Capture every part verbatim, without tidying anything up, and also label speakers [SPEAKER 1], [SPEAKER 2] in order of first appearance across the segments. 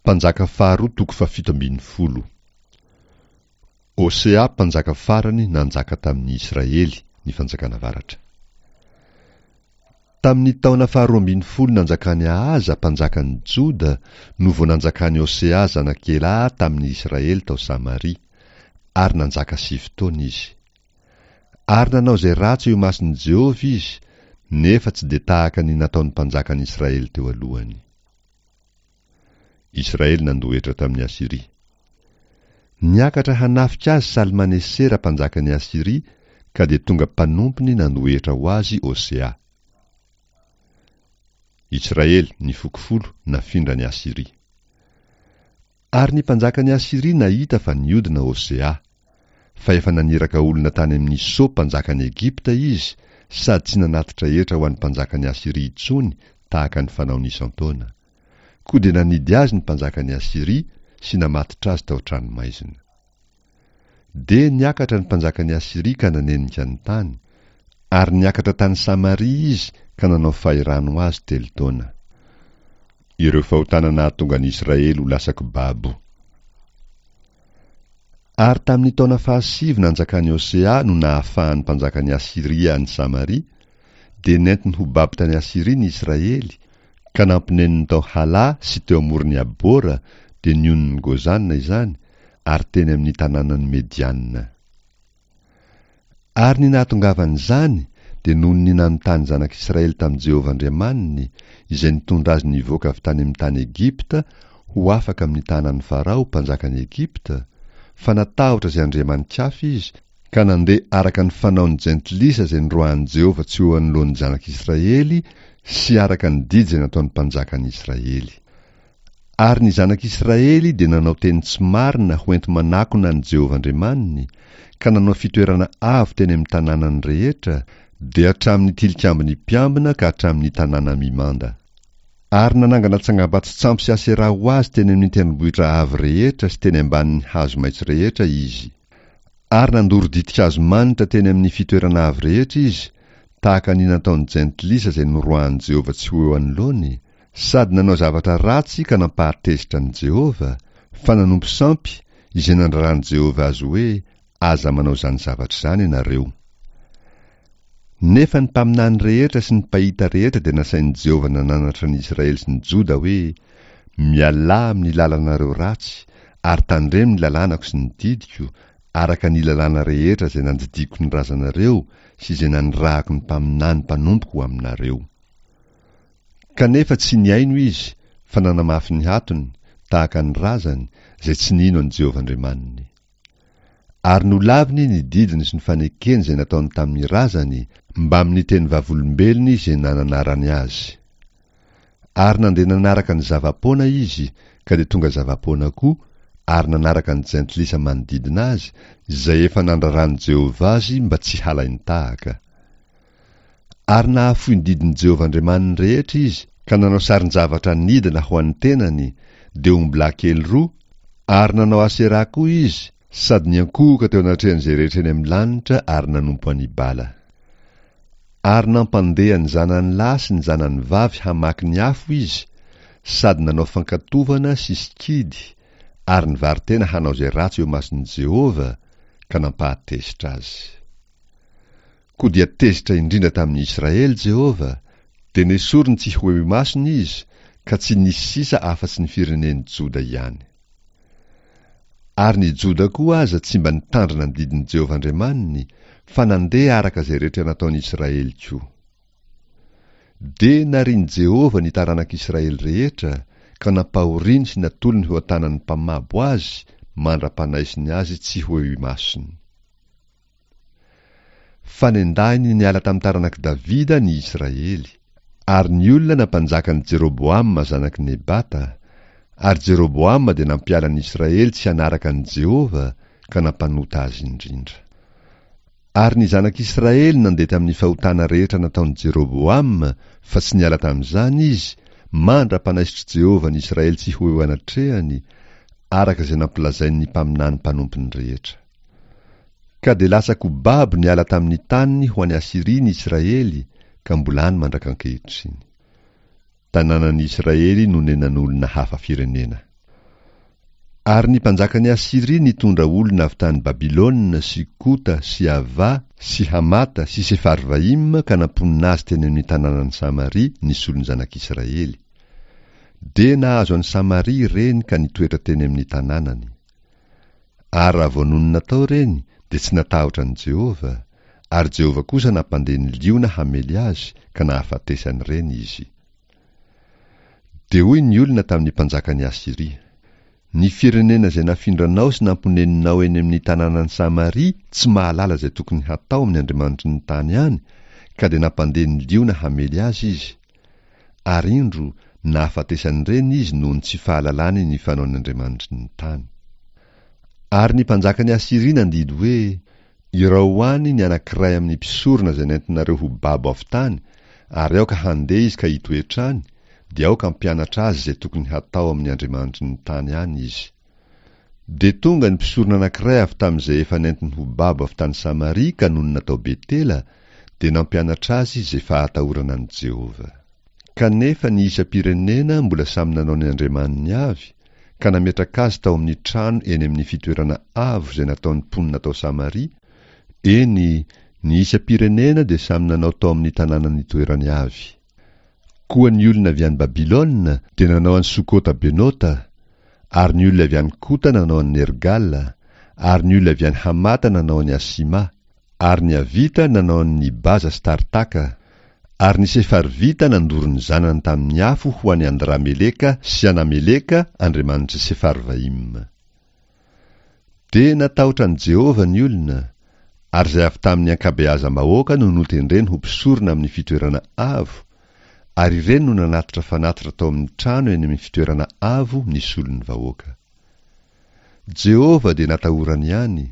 [SPEAKER 1] Mpanjaka faharoa toko fahafito ambin'ny folo. Hosea mpanjaka farany nanjaka tamin'ny Israely, ny fanjakana avaratra. Tamin'ny taona faharoa ambin'ny folo nanjakan'i Ahaza mpanjakan'ny Joda no vao nanjakan'i Hosea zanak'i Elaha tamin'ny Israely tao Samaria, ary nanjaka sivy taona izy. Ary nanao izay ratsy eo imason'i Jehovah izy, nefa tsy dia tahaka ny nataon'ny mpanjakan'ny Israely teo alohany. Israely nandoa hetra tamin'i Asyria. Niakatra hanafika azy Salmanesera mpanjakan'i Asyria, ka dia tonga mpanompony nandoa hetra ho azy Hosea. Israely, ny foko folo, nafindran'i Asyria. Ary ny mpanjakan'i Asyria nahita fa niodina Hosea. Fa efa naniraka olona tany amin'i So mpanjakan'i Egypta izy, sady tsy nanatitra hetra ho an'ny mpanjakan'i Asyria intsony tahaka ny fanaony isan-taona. Koa dia nanidy azy ny mpanjakan'i Asyria sy namatotra azy tao an-tranomaizina. Dia niakatra ny mpanjakan'i Asyria ka nanenika ny tany, ary niakatra tany Samaria izy ka nanao fahirano azy telo taona. Ireo fahotana nahatonga an'i Israely ho lasa-ko babo. Ary tamin'ny taona fahasivy nanjakan'i Hosea no nahafahan'ny mpanjakan'i Asyria an'i Samaria, dia nentiny ho babo tany Asyria ny Israely, ka nampineniny tao Hala sy teo amoron'i Abora, dia ny onin'i Gozana izany, ary teny amin'ny tanànan'i Mediana. Ary ny nahatongavan'izany dia noho ny nanontany zanak'Israely tamin'i Jehovah Andriamaniny, izay nitondra azy nivoaka avy tany amin'ny tany Egypta ho afaka amin'ny tanan'i Farao mpanjakan'i Egypta, fa natahotra izay andriamani-kafa izy, ka nandeha araka ny fanaon'ny jentilisa izay noroahin'i Jehovah tsy ho eo anoloan'ny zanak'Israely sy araka ny didy izay nataon'ny mpanjakan'ny Israely. Ary ny zanak'Israely dia nanao teny tsy marina ho enti-manakona an'i Jehovah Andriamaniny, ka nanao fitoerana avo teny amin'ny tanànany rehetra, dia hatramin'ny tilikambon'ny mpiambina ka hatramin'ny tanàna mimanda. Ary nanangana tsangambato-tsampy sy Aseraha ho azy teny amin'ny tendrombohitra avo rehetra sy teny ambanin'ny hazo maitso rehetra izy. Ary nandoro ditin-kazo manitra teny amin'ny fitoerana avo rehetra izy, tahaka ny nataon'ny jentilisa izay noroahin'i Jehovah tsy ho eo anoloany, sady nanao zavatra ratsy ka nampahatezitra an'i Jehovah, fa nanompo sampy, izay nandraran'i Jehovah azy hoe, Aza manao izany zavatra izany ianareo. Nefa ny mpaminany rehetra sy ny mpahita rehetra dia nasain'i Jehovah nananatra ny Israely sy ny Joda hoe, Mialà amin'ny lalanareo ratsy, ary tandremo ny lalànako sy ny didiko, araka ny lalàna rehetra izay nandidiako ny razanareo sy izay nanirahako ny mpaminany mpanompoko ho aminareo. Kanefa tsy nihaino izy, fa nanamafy ny hatony, tahaka ny razany, izay tsy nino an'i Jehovah Andriamaniny. Ary nolaviny ny didiny sy ny fanekeny izay nataony tamin'ny razany, mbamin'ny teny vavolombelony izay nananarany azy. Ary nandeha nanaraka ny zava-poana izy, ka dia tonga zava-poana koa, ary nanaraka ny jentilisa manodidina azy, izay efa nandraran'i Jehovah azy mba tsy halain-tahaka. Ary nahafoy ny didin'i Jehovah Andriamaniny rehetra izy, ka nanao sarin-javatra nidina ho an'ny tenany, dia ombilahy kely roa, ary nanao Aseraha koa izy, sady niankohoka teo anatrehan'izay rehetra eny amin'ny lanitra ary nanompo an'i Bala. Ary nampandeha ny zanany lahy sy ny zanany vavy hamaky ny afo izy, sady nanao fankatovana sy sikidy, ary nivaro-tena hanao izay ratsy eo imason'i Jehovah, ka nampahatezitra azy. Koa dia tezitra indrindra tamin'ny Israely Jehovah, dia nesoriny tsy ho eo imasony izy, ka tsy nisy sisa afa-tsy ny firenen'i Joda ihany. Ary ny Joda koa aza tsy mba nitandrina ny didin'i Jehovah Andriamaniny, fa nandeha araka izay rehetra nataon'i Israely koa. Dia narian'i Jehovah ny taranak'Israely rehetra, ka nampahoriany sy natolony ho an-tanan'ny mpamabo azy mandra-panaisiny azy tsy ho eo imasony. Fa nendahiny niala tamin'ny taranak'i Davida ny Israely, ary ny olona nampanjakan'i Jeroboama zanak'i Nebata, ary Jeroboama dia nampiala ny Israely tsy hanaraka an'i Jehovah, ka nampanota azy indrindra. Ary ny zanak'Israely nandeha tamin'ny fahotana rehetra nataon'i Jeroboama, fa tsy niala tamin'izany izy, mandra-panaisotr'i Jehovah ny Israely tsy ho eo anatrehany, araka izay nampilazain'ny mpaminany mpanompony rehetra. Ka dia lasa-ko babo niala tamin'ny taniny ho any Asyria ny Israely, ka mbola any mandrak'ankehitriny. Tanànan'ny Israely nonenan'olona hafa firenena. Ary ny mpanjakan'i Asyria nitondra olona avy tany Babylona sy Kota sy Ava sy Hamata sy Sefarvaima ka namponina azy teny amin'ny tanànan'i Samaria nisolo ny zanak'Israely. Dia nahazo an'i Samaria ireny ka nitoetra teny amin'ny tanànany. Ary raha vao nonina tao ireny dia tsy natahotra an'i Jehovah, ary Jehovah kosa nampandeha ny liona hamely azy ka nahafatesan'ireny izy. Dia hoy ny olona tamin'ny mpanjakan'i Asyria: Ny firenena izay nafindranao sy namponeninao eny amin'ny tanànan'i Samaria tsy mahalala izay tokony hatao amin'ny andriamanitry ny tany any, ka dia nampandeha ny liona hamely azy izy. Ary indro, nahafatesan'ireny izy noho ny tsy fahalalany ny fanaon'ny andriamanitry ny tany. Ary ny mpanjakan'i Asyria nandidy hoe: Irao ho any ny anankiray amin'ny mpisorona izay nentinareo ho babo avy tany, ary aoka handeha izy ka hitoetra any, dia aoka hampianatra azy izay tokony hatao amin'ny andriamanitry ny tany any izy. Dia tonga ny mpisorona anankiray avy tamin'izay efa nentiny ho babo avy tany Samaria ka nonina tao Betela, dia nampianatra azy izay fahatahorana an'i Jehovah. Kanefa ny isam-pirenena mbola samy nanao ny andriamaniny avy, ka nametraka azy tao amin'ny trano eny amin'ny fitoerana avo izay nataon'ny mponina tao Samaria, eny, ny isam-pirenena dia samy nanao tao amin'ny tanàna nitoerany avy. Koa ny olona avy any Babylona dia nanao an'i Sokota-Benota, ary ny olona avy any Kota nanao an'i Nergala, ary ny olona avy any Hamata nanao an'i Asima, ary ny Avita nanao an'i Nibaza sy Tartaka, ary ny Sefarvita nandoro ny zanany tamin'ny afo ho an'i Andrameleka sy Anameleka andriamanitr'i Sefarvaima. Dia natahotra an'i Jehovah ny olona, ary izay avy tamin'ny ankabeazam-bahoaka no notendreny ho mpisorona amin'ny fitoerana avo, ary ireny no nanatitra fanatitra tao amin'ny trano eny amin'ny fitoerana avo nisolo ny vahoaka. Jehovah dia natahorany ihany,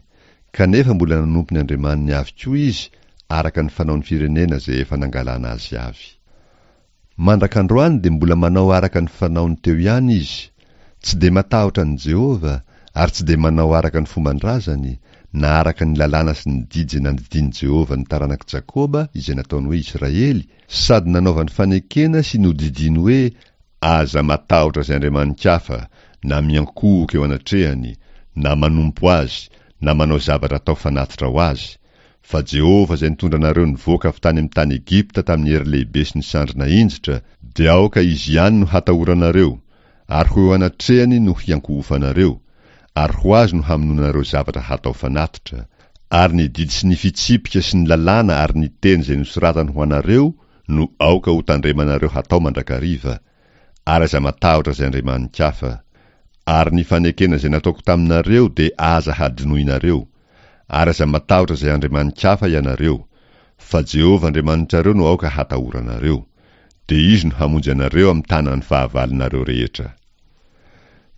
[SPEAKER 1] kanefa mbola nanompo ny andriamaniny avy koa izy araka ny fanaon'ny firenena izay efa nangalana azy avy. Mandrak'androany dia mbola manao araka ny fanaony teo ihany izy, tsy dia matahotra an'i Jehovah ary tsy dia manao araka ny fomban-drazany, na araka ny lalàna sy ny didy izay nandidian'i Jehovah ny taranak'i Jakoba izay nataony hoe Israely, sady nanaovany fanekena sy nodidiany hoe: Aza matahotra izay andriamani-kafa, na miankohoka eo anatrehany, na manompo azy, na manao zavatra atao fanatitra ho azy, fa Jehovah izay nitondra anareo nivoaka avy tany amin'ny tany Egypta tamin'ny hery lehibe sy ny sandry nahinjitra, dia aoka izy ihany no hatahoranareo, ary ho eo anatrehany no hiankohofanareo, ary ho azy no hamonoanareo zavatra hatao fanatitra, ary ny didy sy ny fitsipika sy ny lalàna ary ny teny izay nosoratany ho anareo no aoka ho tandremanareo hatao mandrakariva, ary aza matahotra izay andriamani-kafa. Ary ny fanekena izay nataoko taminareo dia aza hadinoinareo, ary aza matahotra izay andriamani-kafa ianareo, fa Jehovah Andriamanitrareo no aoka hatahoranareo, dia izy no hamonjy anareo amin'ny tanan'ny fahavalonareo rehetra.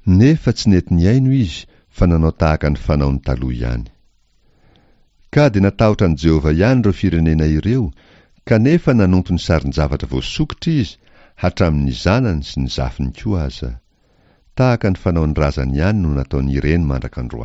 [SPEAKER 1] Nefa tsy nety nihaino izy fa nanao tahaka ny fanaony taloha ihany. Ka dia natahotra an'i Jehovah ihany ireo firenena ireo, kanefa nanompo ny sarin-javatra voasokitra izy, hatramin'ny zanany sy ny zafiny koa aza. Tahaka ny fanaon'ny razany ihany no nataon'ireny mandrak'androany.